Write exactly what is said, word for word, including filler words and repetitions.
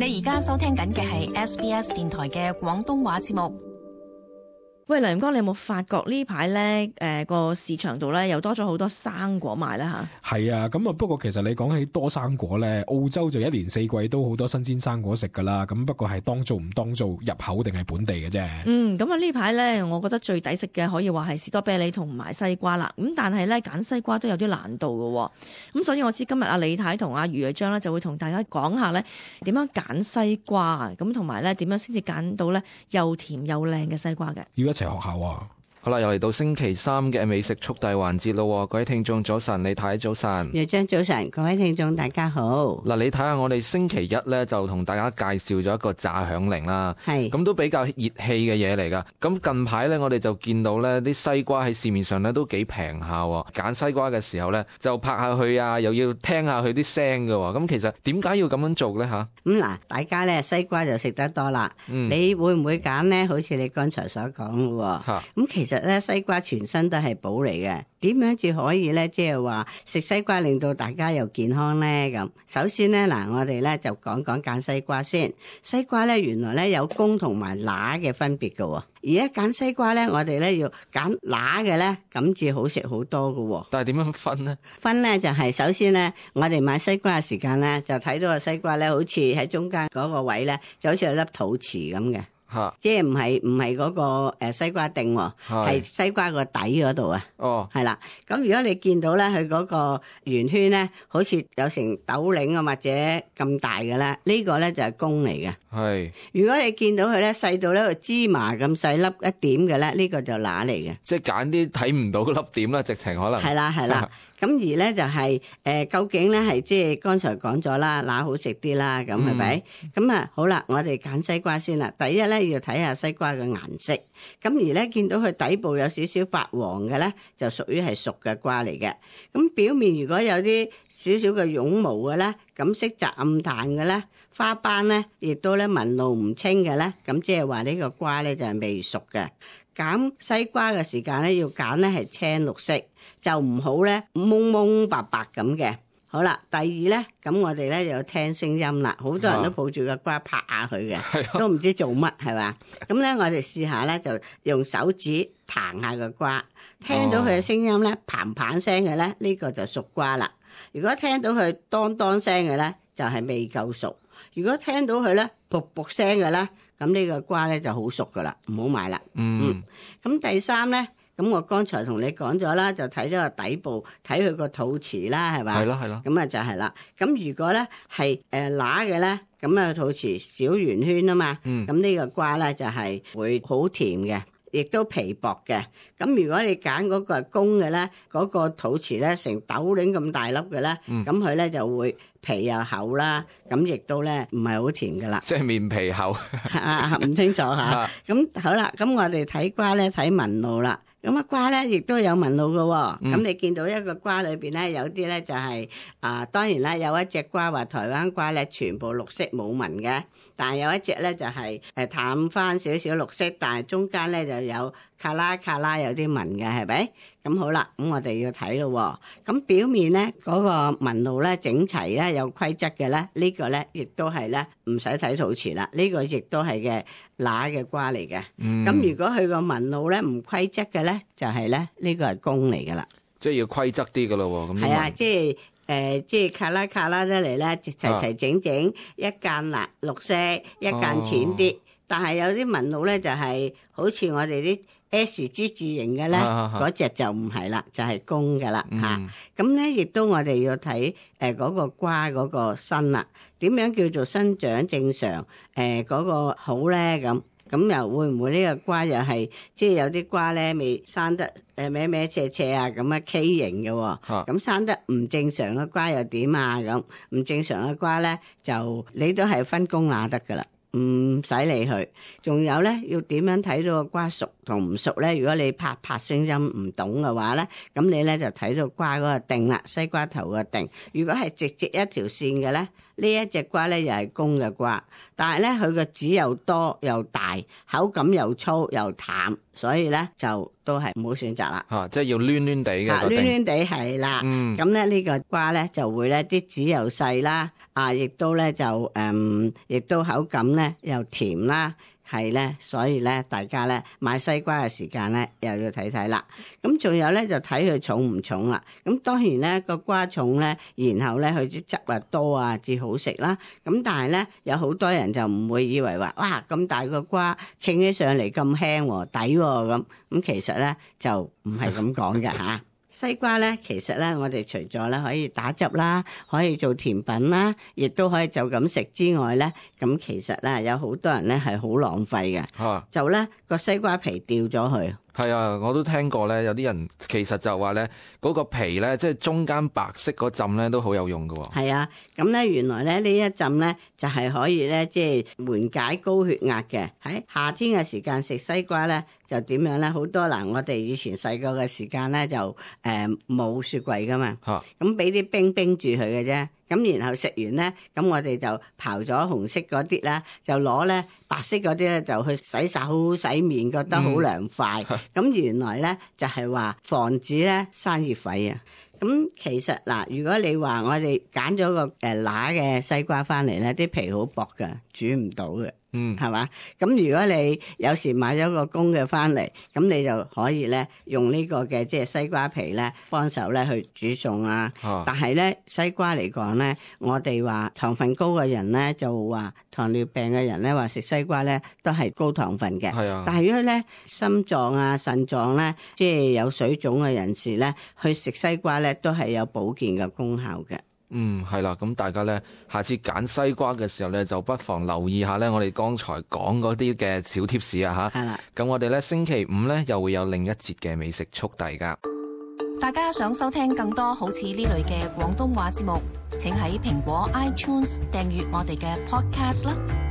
你而家收聽緊嘅係 S B S 電台嘅廣東話節目。喂，梁哥，你有冇發覺呢排咧誒個市場度咧又多咗好多生果賣咧吓？係啊，咁啊不過其實你講起多生果咧，澳洲就一年四季都好多新鮮生果食噶啦，咁不過係當造唔當造，入口定係本地嘅啫。嗯，咁啊呢排咧，我覺得最抵食嘅可以話係士多啤梨同埋西瓜啦。咁但係咧揀西瓜都有啲難度嘅，咁所以我知今日阿李太同阿余偉章咧就會同大家講下咧點樣揀西瓜，咁同埋咧點樣先至揀到咧又甜又靚嘅西瓜嘅。要一齊學校啊！好啦，又嚟到星期三嘅美食速遞環節咯，各位聽眾早晨，李太早晨，余章早晨，各位聽眾大家好。嗱，你睇下我哋星期一咧就同大家介紹咗一個炸響鈴啦，係咁都比較熱氣嘅嘢嚟噶。咁近排咧我哋就見到咧啲西瓜喺市面上咧都幾平下，揀西瓜嘅時候咧就拍下佢啊，又要聽下佢啲聲噶。咁其實點解要咁樣做咧吓？咁嗱，大家咧西瓜就食得多啦，嗯、你會唔會揀咧？好似你剛才所講咯，咁、嗯、其實。其實咧西瓜全身都係寶嚟嘅，點樣至可以咧？即係話食西瓜令到大家又健康咧？咁首先咧嗱，我哋咧就講講揀西瓜先。西瓜咧原來咧有公同埋乸嘅分別嘅，而家揀西瓜咧，我哋咧要揀乸嘅咧，咁至好食好多嘅。但係點樣分呢？分咧就係首先咧，我哋買西瓜嘅時間咧，就睇到個西瓜咧，好似喺中間嗰個位咧，就好似有粒肚臍咁嘅。即係唔係唔係嗰個誒西瓜丁，係西瓜個底嗰度啊。哦，係啦。咁如果你見到咧，佢嗰個圓圈咧，好似有成豆鈴啊或者咁大嘅咧，呢個咧就係公嚟嘅。係。如果你見到佢咧細到呢個芝麻咁細粒一點嘅咧，呢個就乸嚟嘅。即係揀啲睇唔到粒點啦，直情可能。係啦係啦。咁而咧就係、是、誒、呃，究竟咧係即係剛才講咗啦，乸好食啲啦，咁係咪？咁啊、嗯、好啦，我哋揀西瓜先啦。第一咧要睇下西瓜嘅顏色，咁而咧見到佢底部有少少發黃嘅咧，就屬於係熟嘅瓜嚟嘅。咁表面如果有啲少少嘅絨毛嘅咧，咁色澤暗淡嘅咧，花斑咧亦都咧紋路唔清嘅咧，咁即係話呢個瓜咧就係未熟嘅。揀西瓜嘅時間咧要揀咧係青綠色，就唔好咧蒙蒙白白咁嘅。好啦，第二咧，咁我哋咧就有聽聲音啦，好多人都抱住個瓜拍下佢嘅，啊、都唔知做乜係嘛？咁咧我哋試下咧就用手指彈下個瓜，聽到佢嘅聲音咧，嘭嘭聲嘅咧，呢個就熟瓜啦。如果聽到佢當當聲嘅咧，就係未夠熟。如果聽到佢咧噗噗聲嘅咧，咁呢個瓜咧就好熟噶啦，唔好買啦。嗯，咁、嗯、第三咧，咁我剛才同你講咗啦，就睇咗個底部，睇佢個肚臍啦，係嘛？係咯係咯。咁啊就係啦。咁如果咧係誒乸嘅咧，咁啊肚臍小圓圈啊嘛，咁呢、嗯、個瓜咧就係會好甜嘅。亦都皮薄嘅，咁如果你揀嗰個係公嘅咧，嗰、那個肚臍咧成豆鈴咁大粒嘅咧，咁佢咧就會皮又厚啦，咁亦都咧唔係好甜噶啦。即係面皮厚。啊，唔清楚嚇。咁好啦，咁我哋睇瓜咧睇紋路啦。咁啊瓜咧亦都有紋路嘅喎、哦，咁、嗯、你見到一個瓜裏邊咧有啲咧就係、是、啊，當然啦有一隻瓜話台灣瓜咧全部綠色冇紋嘅，但係有一隻咧就係誒淡翻少少綠色，但係中間咧就有卡拉卡拉有啲紋嘅，係咪？咁好啦，咁我哋要睇咯。咁表面咧嗰、那個紋路咧整齊咧有規則嘅咧，這個、呢個咧亦都係咧唔使睇肚臍啦，呢、這個亦都係嘅乸嘅瓜嚟嘅。咁、嗯、如果佢個紋路咧唔規則嘅咧，就係咧呢個係公嚟噶啦。即係要規則啲噶咯。咁係啊，即係誒、呃，即係卡拉卡拉得嚟咧，齊齊整整，啊、一間嗱綠色，一間淺啲，哦、但係有啲紋路咧就係、是、好似我哋啲 S 之字形嘅咧，嗰隻、啊、就唔係啦，就係、是、公噶啦吓。咁咧亦都我哋要睇誒嗰個瓜嗰個身啦，點樣叫做生長正常？誒、呃、嗰、那個好咧咁，咁又會唔會呢個瓜又係即係有啲瓜咧未生得誒歪歪斜斜啊咁啊畸形嘅、哦，咁、啊、生得唔正常嘅瓜又點啊？咁唔正常嘅瓜咧就你都係分公乸得噶啦。唔使理佢，仲有咧要點樣睇到個瓜熟同唔熟咧？如果你拍拍聲音唔懂嘅話咧，咁你咧就睇到瓜嗰個定啦，西瓜頭個定。如果係直直一條線嘅咧，呢一隻瓜咧又係公嘅瓜，但係咧佢個籽又多又大，口感又粗又淡，所以咧就都係唔好選擇啦。啊，即係要攣攣地嘅，攣攣地係啦。嗯，咁咧呢個瓜咧就會咧啲籽又細啦，啊，亦都咧就誒，亦、嗯、都口感咧又甜啦。係咧，所以咧，大家咧買西瓜嘅時間咧，又要睇睇啦。咁仲有咧，就睇佢重唔重啦。咁當然咧，個瓜重咧，然後咧佢啲汁啊多啊，至好食啦。咁但係咧，有好多人就唔會以為話，哇咁大個瓜，稱起上嚟咁輕喎，抵喎咁。咁其實咧就唔係咁講嘅嚇。西瓜咧，其實咧，我哋除咗咧可以打汁啦，可以做甜品啦，亦都可以就咁食之外咧，咁其實咧有好多人咧係好浪費嘅，啊、就咧個西瓜皮掉咗去。係啊，我都聽過咧，有啲人其實就話咧，嗰個皮咧，即係中間白色嗰浸咧，都好有用㗎。係啊，咁咧原來咧呢一浸咧就係可以咧即係緩解高血壓嘅。喺夏天嘅時間食西瓜咧就點樣咧？好多嗱，我哋以前細個嘅時間咧就誒冇、呃、雪櫃噶嘛，咁俾啲冰冰住佢嘅啫。咁然後食完咧，咁我哋就刨咗紅色嗰啲啦，就攞咧白色嗰啲咧就去洗手洗面，覺得好涼快。咁、嗯、原來咧就係、是、話防止咧生熱痱啊。咁其實嗱，如果你話我哋揀咗個誒乸嘅西瓜翻嚟咧，啲皮好薄㗎，煮唔到嘅。嗯，係嘛？咁如果你有時買咗個公嘅翻嚟，咁你就可以咧用呢個嘅即係西瓜皮咧幫手咧去煮餸啊。啊但係咧西瓜嚟講咧，我哋話糖分高嘅人咧就話糖尿病嘅人咧話食西瓜咧都係高糖分嘅。係啊。但係如果咧心臟啊腎臟咧即係有水腫嘅人士咧去食西瓜咧都係有保健嘅功效嘅。嗯，係啦，咁大家咧，下次揀西瓜嘅時候咧，就不妨留意下咧，我哋剛才講嗰啲嘅小貼士啊，吓。係啦。咁我哋咧星期五咧又會有另一節嘅美食速遞噶。大家想收聽更多好似呢類嘅廣東話節目，請喺蘋果 iTunes 訂閱我哋嘅 Podcast 啦。